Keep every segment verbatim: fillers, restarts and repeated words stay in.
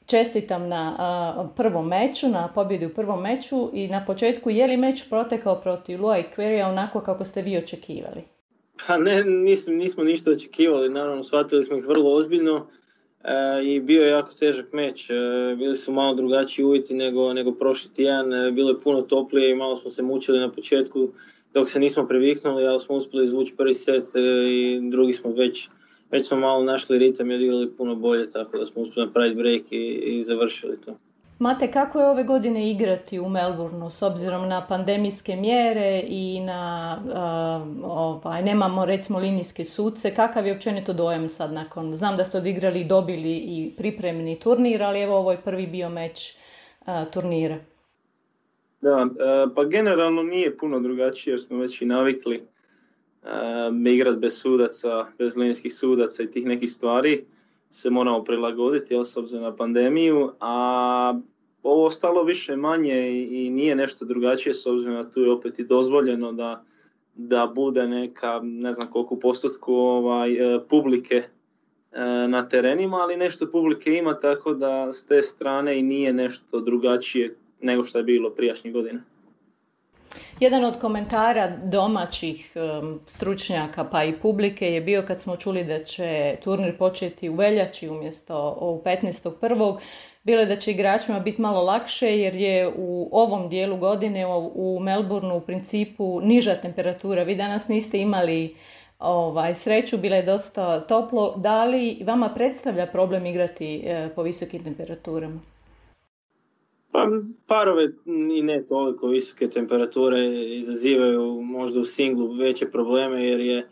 čestitam na a, prvom meču, na pobjedi u prvom meču i na početku, je li meč protekao protiv Lua i Querrya onako kako ste vi očekivali? Pa ne, nismo, nismo ništa očekivali, naravno shvatili smo ih vrlo ozbiljno e, i bio je jako težak meč, e, bili su malo drugačiji uvjeti nego, nego prošli tjedan, e, bilo je puno toplije i malo smo se mučili na početku dok se nismo previknuli, ali smo uspjeli izvući prvi set e, i drugi smo već, već smo malo našli ritam i odigrali puno bolje, tako da smo uspjeli napraviti break i, i završili to. Mate, kako je ove godine igrati u Melbourneu s obzirom na pandemijske mjere i na, uh, ovaj, nemamo recimo linijske suce, kakav je općenito dojam sad nakon, znam da ste odigrali i dobili i pripremni turnir, ali evo ovo je prvi bio meč uh, turnira. Da, pa generalno nije puno drugačije jer smo već i navikli uh, igrati bez sudaca, bez linijskih sudaca i tih nekih stvari. Se moramo prilagoditi, jel, s obzirom na pandemiju, a ovo ostalo više manje i, i nije nešto drugačije s obzirom na tu je opet i dozvoljeno da, da bude neka, ne znam koliko postotku ovaj, publike na terenima, ali nešto publike ima, tako da s te strane i nije nešto drugačije nego što je bilo prijašnjih godina. Jedan od komentara domaćih um, stručnjaka pa i publike je bio kad smo čuli da će turnir početi u veljači umjesto u petnaestog prvog bilo je da će igračima biti malo lakše jer je u ovom dijelu godine u, u Melbourneu u principu niža temperatura. Vi danas niste imali ovaj, sreću, bilo je dosta toplo. Da li vama predstavlja problem igrati eh, po visokim temperaturama? Pa parove i ne toliko visoke temperature izazivaju možda u singlu veće probleme jer je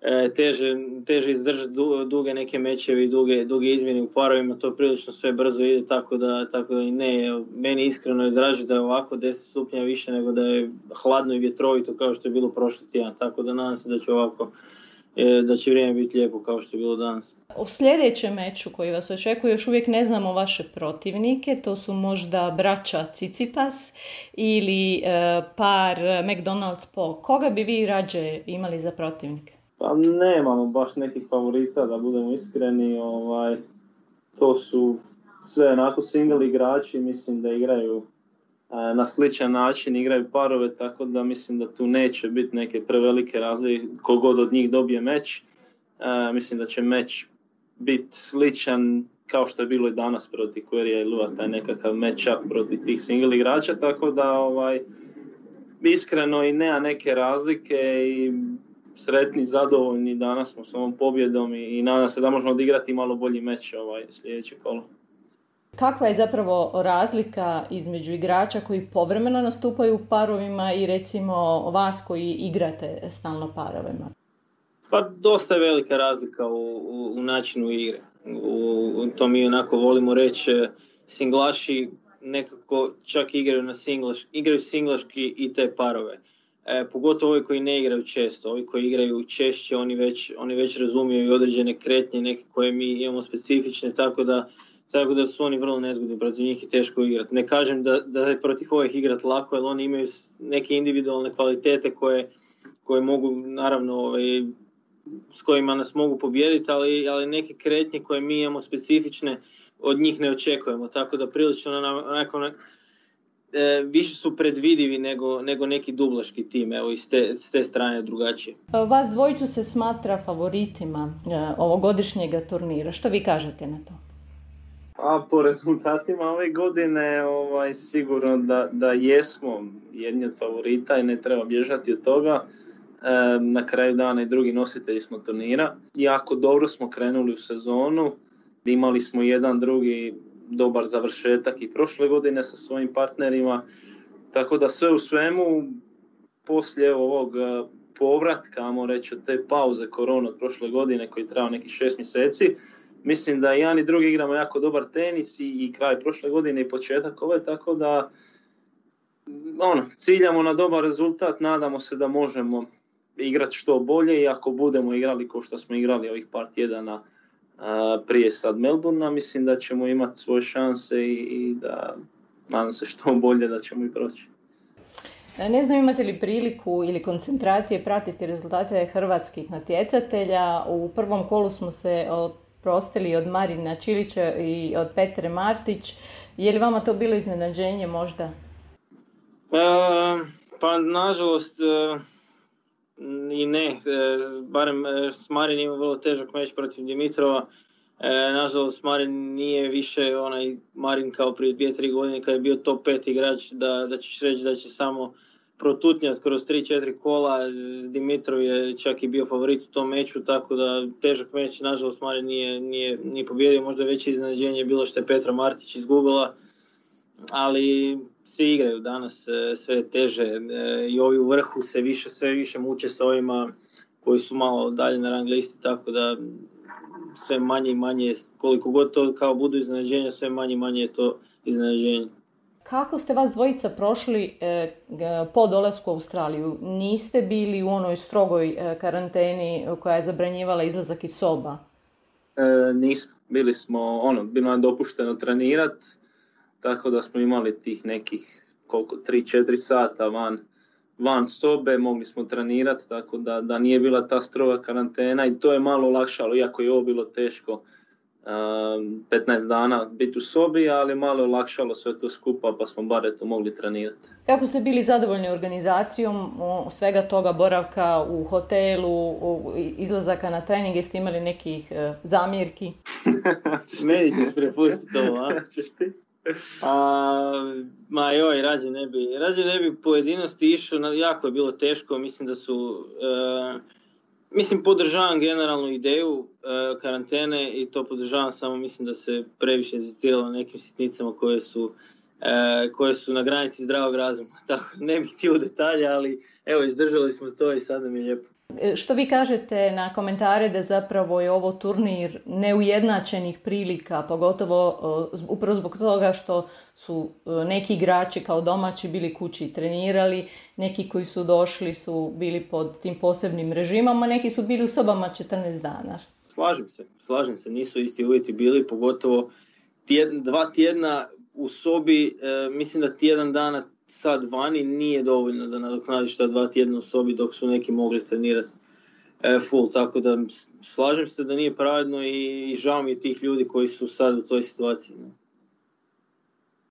e, teže, teže izdržati duge neke mečevi i duge, duge izmjene u parovima, to prilično sve brzo ide, tako da, tako da i ne, meni iskreno je draže da je ovako deset stupnja više nego da je hladno i vjetrovito kao što je bilo prošli tjedan, tako da nadam se da će ovako da će vrijeme biti lijepo kao što je bilo danas. U sljedećem meču koji vas očekuje još uvijek ne znamo vaše protivnike, to su možda braća Tsitsipas ili e, par McDonald's-Po. Koga bi vi rađe imali za protivnike? Pa nemamo baš nekih favorita, da budemo iskreni. Ovaj, to su sve onako single igrači, mislim da igraju na sličan način, igraju parove, tako da mislim da tu neće biti neke prevelike razlike kogod od njih dobije meč. E, mislim da će meč biti sličan kao što je bilo i danas protiv Querrya i Lua, taj nekakav match-up protiv tih single igrača, tako da ovaj, iskreno i nema neke razlike i sretni, zadovoljni danas smo s ovom pobjedom i, i nadam se da možemo odigrati malo bolji meč ovaj, sljedeće kolo. Kakva je zapravo razlika između igrača koji povremeno nastupaju u parovima i recimo vas koji igrate stalno parovima? Pa dosta je velika razlika u, u, u načinu igre. U, u to mi onako volimo reći, singlaši nekako čak igraju na singlaš, igraju singlaški i te parove. E, pogotovo ovi koji ne igraju često, ovi koji igraju češće, oni već, oni već razumiju i određene kretnje, neke koje mi imamo specifične, tako da Tako da su oni vrlo nezgodni, protiv njih i teško igrati. Ne kažem da, da je protiv ovih igrati lako, jer oni imaju neke individualne kvalitete koje, koje mogu, naravno, ovaj, s kojima nas mogu pobijediti, ali, ali neke kretnje koje mi imamo specifične, od njih ne očekujemo. Tako da prilično onako, onako, e, više su predvidivi nego, nego neki dublaški tim, evo, i s te, s te strane drugačije. Vas dvojicu se smatra favoritima e, ovogodišnjega turnira. Što vi kažete na to? A po rezultatima ove godine ovaj, sigurno da, da jesmo jedni od favorita i ne treba bježati od toga. E, na kraju dana i drugi nositelji smo turnira. Jako dobro smo krenuli u sezonu. Imali smo jedan drugi dobar završetak i prošle godine sa svojim partnerima. Tako da sve u svemu, poslije ovog povratka, ajmo reći od te pauze korona od prošle godine koji trajao nekih šest mjeseci, mislim da jedan i drugi igramo jako dobar tenis i, i kraj prošle godine i početak ove, tako da ono, ciljamo na dobar rezultat, nadamo se da možemo igrati što bolje i ako budemo igrali kao što smo igrali ovih par tjedana a, prije sad Melbournea, mislim da ćemo imati svoje šanse i, i da nadam se što bolje da ćemo i proći. Ne znam imate li priliku ili koncentracije pratiti rezultate hrvatskih natjecatelja. U prvom kolu smo se prostili od Marina Čilića i od Petre Martić. Je li vama to bilo iznenađenje možda? E, pa nažalost e, i ne. E, barem e, Marin ima vrlo težak meč protiv Dimitrova. E, nažalost Marin nije više onaj Marin kao prije dvije tri godine kad je bio top pet igrač da, da ćeš reći da će samo protutnjati kroz tri četiri kola. Dimitrov je čak i bio favorit u tom meču, tako da težak meč, nažalost Marin nije, nije, nije pobjedio, možda veće iznenađenje je bilo što je Petra Martić izgubila, ali svi igraju danas sve teže i ovi u vrhu se više, sve više muče sa ovima koji su malo dalje na rang listi, tako da sve manje i manje, koliko god to kao budu iznenađenja, sve manje i manje je to iznenađenje. Kako ste vas dvojica prošli e, po dolasku u Australiju? Niste bili u onoj strogoj e, karanteni koja je zabranjivala izlazak iz soba? E, nismo. Bili smo, ono, bilo nam dopušteno trenirati, tako da smo imali tih nekih koliko, tri četiri sata van, van sobe, mogli smo trenirati, tako da, da nije bila ta stroga karantena i to je malo olakšalo, iako je ovo bilo teško. petnaest dana biti u sobi, ali malo je olakšalo sve to skupa, pa smo bar eto mogli trenirati. Kako ste bili zadovoljni organizacijom svega toga, boravka u hotelu, izlazaka na trening, jeste imali nekih uh, zamjerki? Meni ćeš prepustiti ovo, a? Češ ti? A, ma joj, rađe ne bi, rađe ne bi pojedinosti išao, jako je bilo teško, mislim da su... Uh, Mislim, podržavam generalnu ideju e, karantene i to podržavam, samo mislim da se previše inzistiralo na nekim sitnicama koje su, e, koje su na granici zdravog razuma. Tako ne bih htio u detalje, ali evo, izdržali smo to i sad nam je lijepo. Što vi kažete na komentare da zapravo je ovo turnir neujednačenih prilika, pogotovo uh, upravo zbog toga što su uh, neki igrači kao domaći bili kući i trenirali, neki koji su došli su bili pod tim posebnim režimom, a neki su bili u sobama četrnaest dana. Slažem se, slažem se, nisu isti uvjeti bili, pogotovo tjedna, dva tjedna u sobi, e, mislim da tjedan dana sad vani nije dovoljno da nadoknadiš ta dva tjedna u sobi dok su neki mogli trenirati e, full, tako da slažem se da nije pravedno i, i žao mi je tih ljudi koji su sad u toj situaciji. Ne?